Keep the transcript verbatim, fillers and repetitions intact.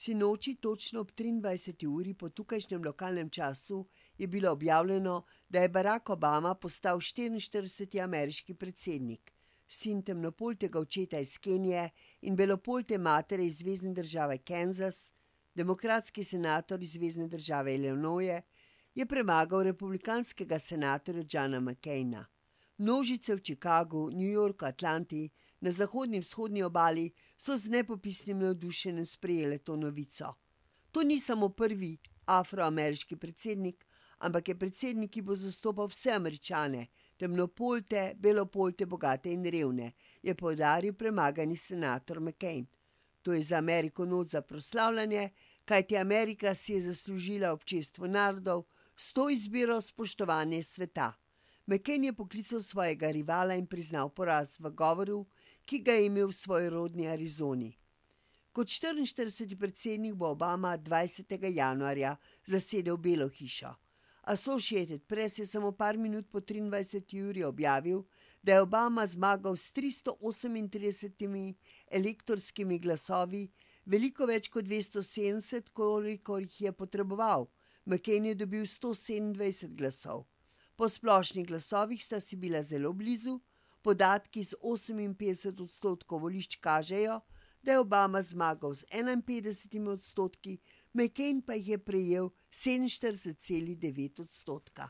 Sinoči točno ob triindvajseti uri po tukajšnjem lokalnem času je bilo objavljeno, da je Barack Obama postal štiriinštirideseti ameriški predsednik, sin temnopoltega očeta iz Kenije in belopolte matere iz zvezne države Kansas. Demokratski senator iz zvezne države Illinois je premagal republikanskega senatorja Johna McCaina. Množice v Chicagu, New Yorku, Atlanti, na zahodni in vzhodni obali so z nepopisnim navdušenjem sprejele to novico. To ni samo prvi afroameriški predsednik, ampak je predsednik, ki bo zastopal vse Američane, temnopolte, belopolte, bogate in revne, je poudaril premagani senator McCain. To je za Ameriko noč za proslavljanje, kajti Amerika si je zaslužila občestvo narodov s to izbiro spoštovanje sveta. McCain je poklical svojega rivala in priznal poraz v govoru, ki ga je imel v svoji rodni Arizoni. Kot štiriinštirideseti predsednik bo Obama dvajsetega januarja zasedel Belo hišo. Associated Press je samo par minut po triindvajseti uri objavil, da je Obama zmagal s tristo osemintridesetimi elektorskimi glasovi, veliko več kot dvesto sedemdeset, kolikor jih je potreboval. McCain je dobil sto sedemindvajset glasov. Po splošnih glasovih sta si bila zelo blizu, podatki z oseminpetdeset odstotkov volišč kažejo, da je Obama zmagal z enainpetdesetimi odstotki, McCain pa jih je prejel sedeminštirideset celih devet odstotka.